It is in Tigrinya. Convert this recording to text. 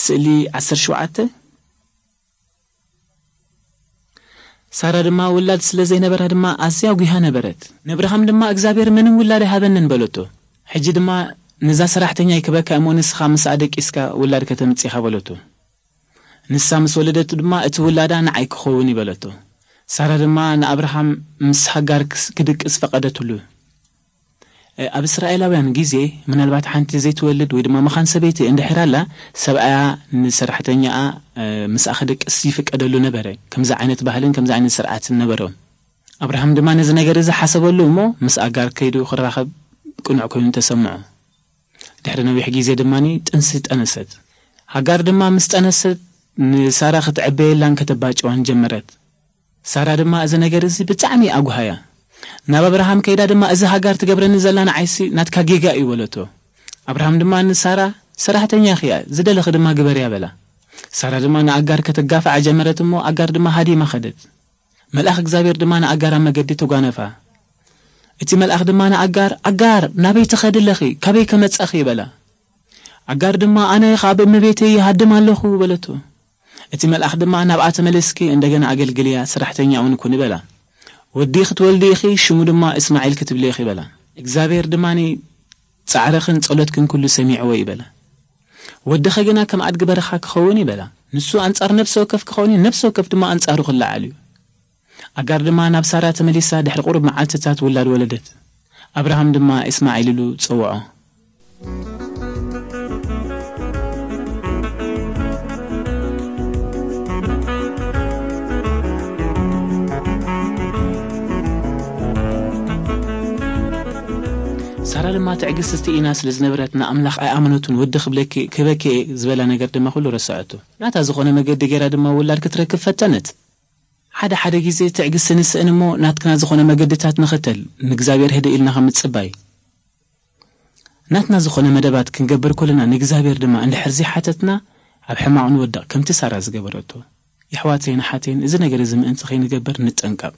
ስእሊ ዓሰርተ ሸውዓተ። ሳራ ድማ ውላድ ስለ ዘይነበራ ድማ ኣዝያ ጒሃ ነበረት። ነብርሃም ድማ እግዚኣብሔር ምንም ውላድ ኣይሃበንን በለቶ። ሕጂ ድማ ነዛ ሰራሕተኛ ይክበካ እሞ ንስኻ ምስኣ ደቂስካ ውላድ ከተምጽእ ኢኻ በለቶ። ንሳ ምስ ወለደቱ ድማ እቲ ውላዳ ንዓይ ክኸውን እዩ በለቶ። ሳራ ድማ ንኣብርሃም ምስ ሃጋር ክስ- ክድቅስ ፈቐደትሉ። ኣብ እስራኤላውያን ግዜ ምናልባት ሓንቲ ዘይትወልድ ወይ ድማ መኻን ሰበይቲ እንድሕር ኣላ፣ ሰብኣያ ንሰራሕተኛኣ ምስኣ ክድቅስ ይፍቀደሉ ነበረ። ከምዚ ዓይነት ባህልን ከምዚ ዓይነት ስርዓትን ነበሮም። ኣብርሃም ድማ ነዚ ነገር እዚ ሓሰበሉ እሞ ምስ ኣጋር ከይዱ ክራኸብ ቅኑዕ ኮይኑ ተሰምዖ። ድሕሪ ነዊሕ ግዜ ድማ ጥንሲ ጠነሰት። ሃጋር ድማ ምስ ጠነሰት ንሳራ ክትዕበየላን ከተባጭዋን ጀመረት። ሳራ ድማ እዚ ነገር እዚ ብጣዕሚ ኣጉሃያ። ናብ ኣብርሃም ከይዳ ድማ እዚ ሃጋር ትገብረኒ ዘላ ንዓይሲ ናትካ ጌጋ እዩ በለቶ። ኣብርሃም ድማ ንሳራ ሰራሕተኛ ኽያ ዝደለኺ ድማ ግበርያ በላ። ሳራ ድማ ንኣጋር ከተጋፍዓ ጀመረት እሞ ኣጋር ድማ ሃዲማ ኸደት። መልኣኽ እግዚኣብሔር ድማ ንኣጋር ኣብ መገዲ ተጓነፋ። እቲ መልኣኽ ድማ ንኣጋር ኣጋር ናበይ ትኸዲ ኣለኺ ካበይ ከመጻኺ በላ። ኣጋር ድማ ኣነ ኻብ እመቤተይ ይሃድም ኣለኹ በለቶ። እቲ መልኣኽ ድማ ናብኣ ተመለስኪ እንደገና ኣገልግልያ ሰራሕተኛ እውን ኩኒ በላ። ወዲ ክትወልዲ ኢኺ ሽሙ ድማ እስማዒል ክትብሊ ኢኺ በላ። እግዚኣብሔር ድማ ጻዕረኽን ጸሎትክን ኩሉ ሰሚዕዎ ይበላ። ወድኸ ግና ከም ኣድጊ በረኻ ክኸውን ይበላ። ንሱ ኣንጻር ነፍሲ ወከፍ ክኸውን እዩ፣ ነፍሲ ወከፍ ድማ ኣንጻሩ ክለዓል እዩ። ኣጋር ድማ ናብ ሳራ ተመሊሳ ድሕሪ ቁሩብ መዓልትታት ውላድ ወለደት። ኣብርሃም ድማ እስማዒል ኢሉ ጸውዖ። ሳራ ድማ ትዕግስቲ ኢና ስለ ዝነበረት ንኣምላኽ ኣይኣመነቱን። ወዲ ክብለኪ ክበኪ ዝበላ ነገር ድማ ኩሉ ረሰዐቱ። ናታ ዝኾነ መገዲ ገይራ ድማ ውላድ ክትረክብ ፈተነት። ሓደ ሓደ ግዜ ትዕግስቲ ንስእን እሞ ናትክና ዝኾነ መገድታት ንኸተል ንእግዚኣብሔር ህድእ ኢልና ከም ምጽባይ። ናትና ዝኾነ መደባት ክንገብር ከለና ንእግዚኣብሔር ድማ እንድሕር ዘይሓተትና ኣብ ሕማቕ ንወድቕ ከምቲ ሳራ ዝገበረቶ። የሕዋተይን ኣሓተይን እዚ ነገር እዚ ምእንቲ ከይንገብር ንጠንቀቕ።